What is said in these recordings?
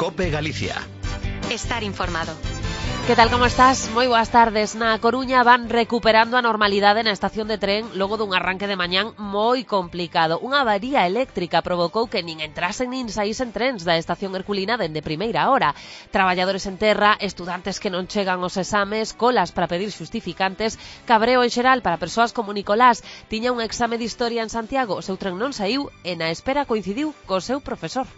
COPE Galicia. Estar informado. Que tal, como estás? Moi boas tardes. Na Coruña van recuperando a normalidade na estación de tren logo dun arranque de mañán moi complicado. Unha avaría eléctrica provocou que nin entrasen nin saísen trens da estación herculina dende primeira hora. Traballadores en terra, estudantes que non chegan aos exames, colas para pedir xustificantes, cabreo en xeral para persoas como Nicolás. Tiña un exame de historia en Santiago, o seu tren non saiu e na espera coincidiu co seu profesor.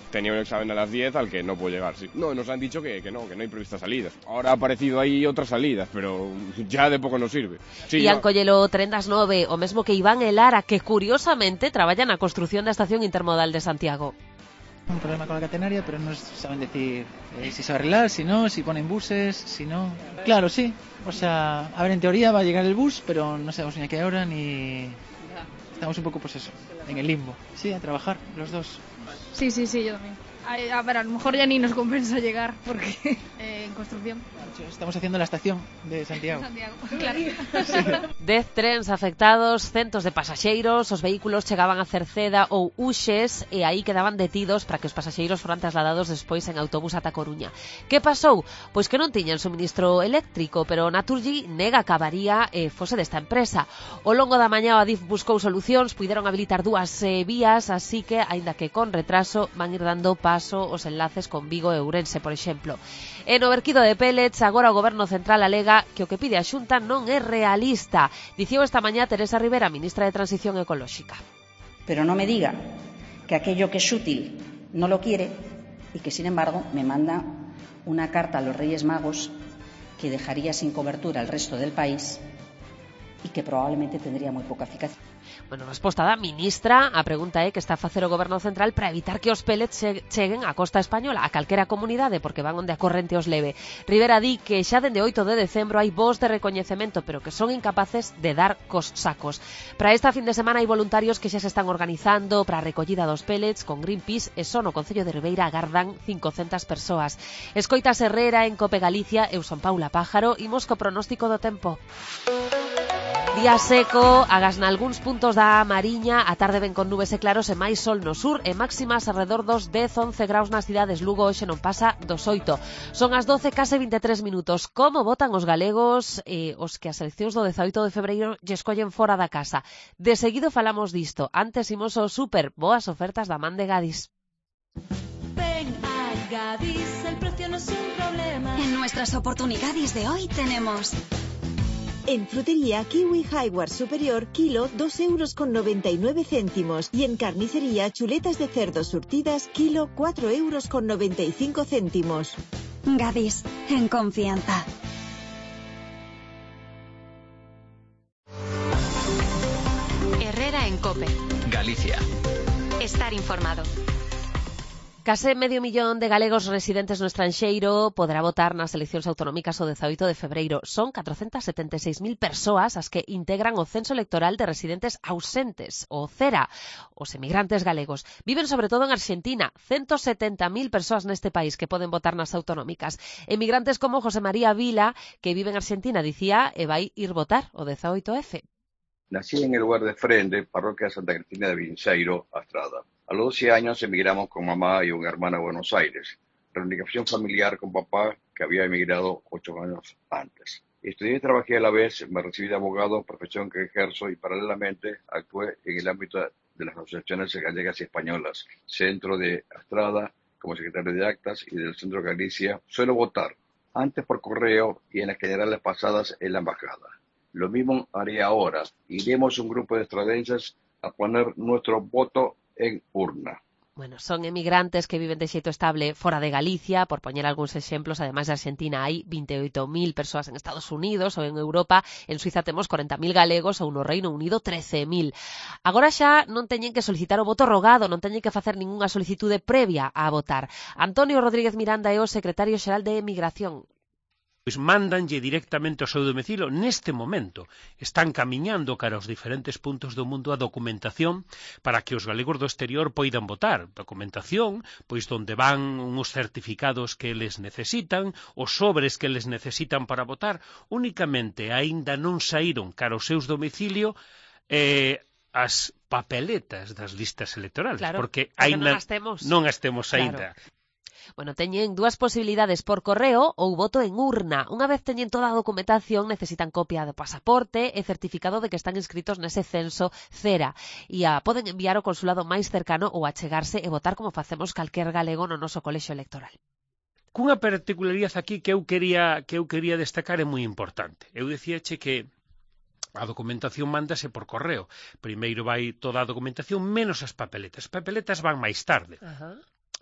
Tenía un examen a las 10 al que no puedo llegar. Sí. No, nos han dicho que no hay previstas salidas. Ahora ha aparecido ahí otras salidas, pero ya de poco nos sirve. Sí, Ian collelo tren das 9, o mesmo que Iván e Lara, que curiosamente traballan na construción da estación intermodal de Santiago. Un problema con la catenaria, pero no saben decir si se va a arreglar, si no, si ponen buses, si no. Claro, sí. O sea, a ver, en teoría va a llegar el bus, pero no sabemos ni a qué hora ni... Estamos un poco, pues eso, en el limbo. Sí, a trabajar, los dos. Sí, yo también. A ver, a lo mejor ya ni nos compensa llegar, porque en construcción. Estamos haciendo la estación de Santiago. Claro. Sí. 10 trens afectados, centos de pasaxeiros, os vehículos chegaban a Cerceda ou Uxes e aí quedaban detidos para que os pasaxeiros foran trasladados despois en autobús ata Coruña. Que pasou? Pois que non tiñan suministro eléctrico, pero Naturgy nega que a avaría fose desta empresa. Ao longo da mañá o Adif buscou solucións, puideron habilitar dúas vías, así que, aínda que con retraso, van ir dando paso os enlaces con Vigo e Ourense, por exemplo. E no verquido de pellets, agora o Goberno Central alega que o que pide a Xunta non é realista. Dicío esta mañá Teresa Rivera, ministra de Transición Ecolóxica. Pero no me diga que aquello que es útil no lo quiere y que, sin embargo, me manda una carta a los Reyes Magos que dejaría sin cobertura al resto del país y que probablemente tendría muy poca eficacia. Bueno, resposta da ministra. A pregunta é que está a facer o Goberno Central para evitar que os pellets cheguen á costa española, a calquera comunidade, porque van onde a corrente os leve. Rivera di que xa dende 8 de decembro hai voos de recoñecemento, pero que son incapaces de dar cos sacos. Para esta fin de semana hai voluntarios que xa se están organizando para a recollida dos pellets con Greenpeace e só no Concello de Ribeira agardan 500 persoas. Escoitas Herrera en COPE Galicia, eu son Paula Pájaro, imos co pronóstico do tempo. Día seco, agas nalgúns puntos da Mariña, a tarde ven con nubes e claros e máis sol no sur e máximas alrededor dos 10-11 graus nas cidades. Lugo hoxe non pasa dos 8. Son as 12, case 23 minutos. Como votan os galegos os que as eleccións do 18 de febreiro lle escollen fora da casa? De seguido falamos disto. Antes imos ao súper. Boas ofertas da man de Gadis. Ven a Gadis, el precio no es un problema. En nuestras oportunidades de hoy tenemos... En frutería Kiwi Highward Superior, kilo 2,99 €. Y en carnicería chuletas de cerdo surtidas, kilo 4,95 €. Gadis, en confianza. Herrera en COPE Galicia. Estar informado. Case medio millón de galegos residentes no estranxeiro poderá votar nas eleccións autonómicas o 18 de febreiro. Son 476.000 persoas as que integran o censo electoral de residentes ausentes, o CERA. Os emigrantes galegos viven sobre todo en Arxentina. 170.000 persoas neste país que poden votar nas autonómicas. Emigrantes como José María Vila, que vive en Arxentina, dicía, e vai ir votar o 18F. Nací en el lugar de Frente, parroquia Santa Cristina de Vinceiro, Astrada. A los 12 años emigramos con mamá y una hermana a Buenos Aires. Reunificación familiar con papá, que había emigrado 8 años antes. Estudié y trabajé a la vez, me recibí de abogado, profesión que ejerzo, y paralelamente actué en el ámbito de las asociaciones gallegas y españolas, Centro de Astrada, como secretario de actas, y del Centro Galicia. Suelo votar, antes por correo y en las generales pasadas en la embajada. Lo mismo haré ahora. Iremos un grupo de estradenses a poner nuestro voto en urna. Bueno, son emigrantes que viven de xeito estable fora de Galicia, por poñer algúns exemplos. Ademais de Argentina hai 28.000 persoas en Estados Unidos ou en Europa. En Suiza temos 40.000 galegos ou no Reino Unido 13.000. Agora xa non teñen que solicitar o voto rogado, non teñen que facer ningunha solicitude previa a votar. Antonio Rodríguez Miranda é o secretario xeral de Emigración. Pois mándanlle directamente ao seu domicilio neste momento. Están camiñando cara aos diferentes puntos do mundo a documentación para que os galegos do exterior poidan votar. Documentación, pois donde van uns certificados que eles necesitan, os sobres que eles necesitan para votar. Únicamente aínda non saíron cara aos seus domicilio as papeletas das listas electorales, claro, porque aínda non as temos aínda. Bueno, teñen dúas posibilidades por correo ou voto en urna. Unha vez teñen toda a documentación, necesitan copia do pasaporte e certificado de que están inscritos nese censo CERA. E poden enviar ao consulado máis cercano ou achegarse e votar como facemos calquer galego no noso colexio electoral. Cunha particularidade aquí que eu quería destacar é moi importante. Eu dicíache que a documentación mándase por correo. Primeiro vai toda a documentación menos as papeletas. As papeletas van máis tarde.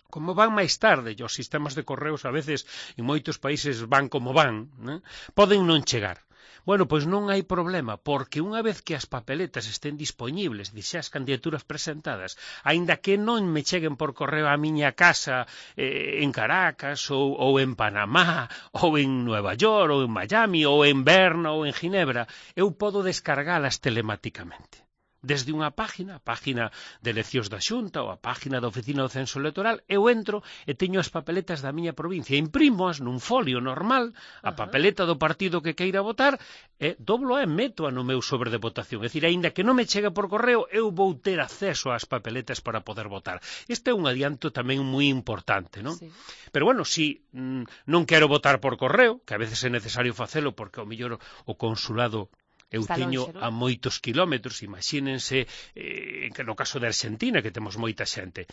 Como van máis tarde, os sistemas de correos a veces en moitos países van como van, né? Poden non chegar. Bueno, pois non hai problema, porque unha vez que as papeletas estén dispoñibles, xa as candidaturas presentadas, aínda que non me cheguen por correo á miña casa en Caracas, ou en Panamá, ou en Nueva York, ou en Miami, ou en Berna, ou en Ginebra, eu podo descargalas telemáticamente. Desde unha página, a página de eleccións da Xunta ou a página da Oficina do Censo Electoral, eu entro e teño as papeletas da miña provincia, imprimoas nun folio normal, a papeleta do partido que queira votar, e doblo e meto no meu sobre de votación. É dicir, aínda que non me chegue por correo, eu vou ter acceso ás papeletas para poder votar. Este é un adianto tamén moi importante, non? Sí. Pero bueno, si non quero votar por correo, que a veces é necesario facelo porque ao mellor o consulado eu teño a moitos kilómetros, imagínense, que no caso de Argentina, que temos moita xente.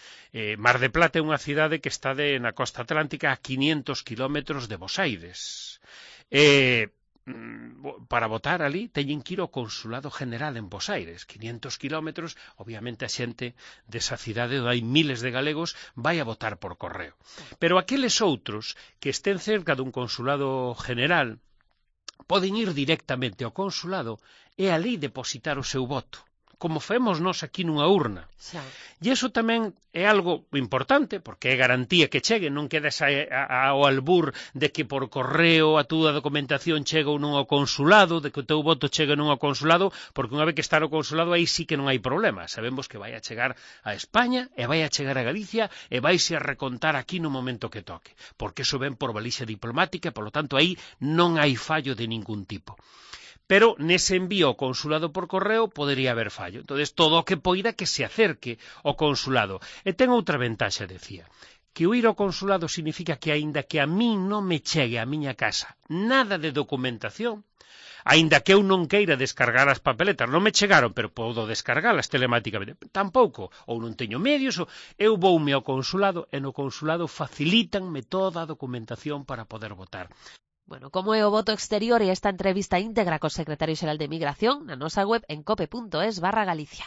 Mar de Plata é unha cidade que está na costa atlántica a 500 kilómetros de Bos Aires. Para votar ali teñen que ir ao Consulado General en Bos Aires. 500 kilómetros, obviamente a xente desa cidade onde hai miles de galegos vai a votar por correo. Pero aqueles outros que estén cerca dun Consulado General poden ir directamente ao consulado e ali depositar o seu voto, como femos nós aquí nunha urna. E iso tamén é algo importante, porque é garantía que chegue, non quedes ao albur de que por correo a túa documentación chega ou non ao consulado, de que o teu voto chega non ao consulado, porque unha vez que está no consulado aí sí que non hai problema. Sabemos que vai a chegar a España e vai a chegar a Galicia e vaise a recontar aquí no momento que toque, porque iso ven por balixa diplomática e, polo tanto, aí non hai fallo de ningún tipo. Pero nese envío ao consulado por correo podería haber fallo. Entón, todo o que poida que se acerque ao consulado. E ten outra ventaxa, decía, que o ir ao consulado significa que aínda que a min non me chegue a miña casa nada de documentación, aínda que eu non queira descargar as papeletas, non me chegaron, pero podo descargalas telemáticamente, tampouco, ou non teño medios, eu voume ao consulado e no consulado facilítanme toda a documentación para poder votar. Bueno, como é o voto exterior e esta entrevista íntegra co secretario xeral de Migración na nosa web en cope.es/Galicia.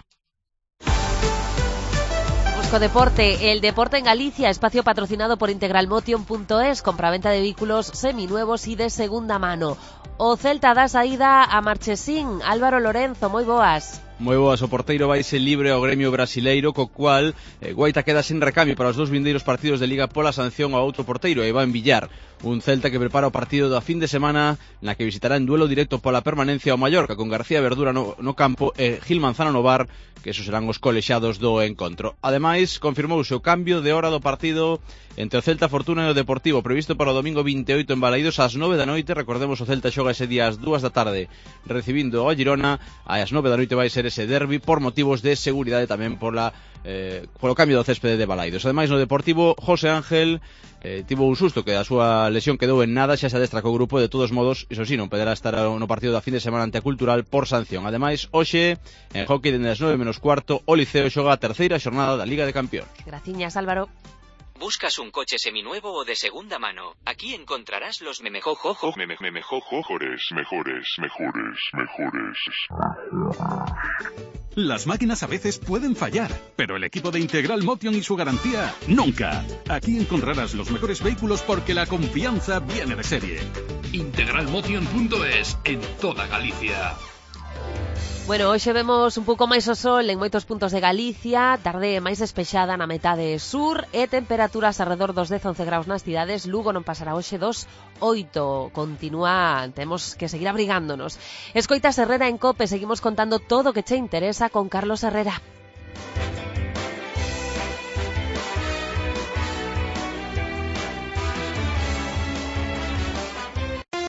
Busco deporte, el deporte en Galicia, espacio patrocinado por integralmotion.es, compraventa de vehículos seminuevos y de segunda mano. O Celta dá saída a Marchesín. Álvaro Lorenzo, moi boas. Moi boas, o porteiro vaise libre ao gremio brasileiro, co cual Guaita queda sen recambio para os dous vindeiros partidos de Liga pola sanción ao outro porteiro, Iván Villar. Un Celta que prepara o partido da fin de semana na que visitará en duelo directo pola permanencia ao Mallorca, con García Verdura no campo e Gil Manzano no bar, que esos serán os colexados do encontro. Ademais, confirmouse o cambio de hora do partido entre o Celta Fortuna e o Deportivo, previsto para o domingo 28 en Balaídos ás 9 da noite. Recordemos, o Celta xoga ese día ás 2 da tarde recibindo ao Girona, ás 9 da noite vai ser ese derbi por motivos de seguridade, tamén polo cambio do céspede de Balaídos. Ademais, no Deportivo, José Ángel tivo un susto, que a súa lesión quedou en nada, xa se adestra co grupo. De todos modos, iso sí, non poderá estar no partido da fin de semana ante a Cultural por sanción. Ademais, hoxe, en hockey, dende as 9:15, o Liceo xoga a terceira xornada da Liga de Campións. Graciñas, Álvaro. ¿Buscas un coche seminuevo o de segunda mano? Aquí encontrarás los mejores. Las máquinas a veces pueden fallar, pero el equipo de Integral Motion y su garantía, nunca. Aquí encontrarás los mejores vehículos porque la confianza viene de serie. Integralmotion.es, en toda Galicia. Bueno, hoxe vemos un pouco máis o sol en moitos puntos de Galicia, tarde máis despexada na metade sur e temperaturas alrededor dos 10-11 graus nas cidades. Lugo non pasará hoxe 2,8. Continúa, temos que seguir abrigándonos. Escoitas Herrera en Cope, seguimos contando todo o que che interesa con Carlos Herrera.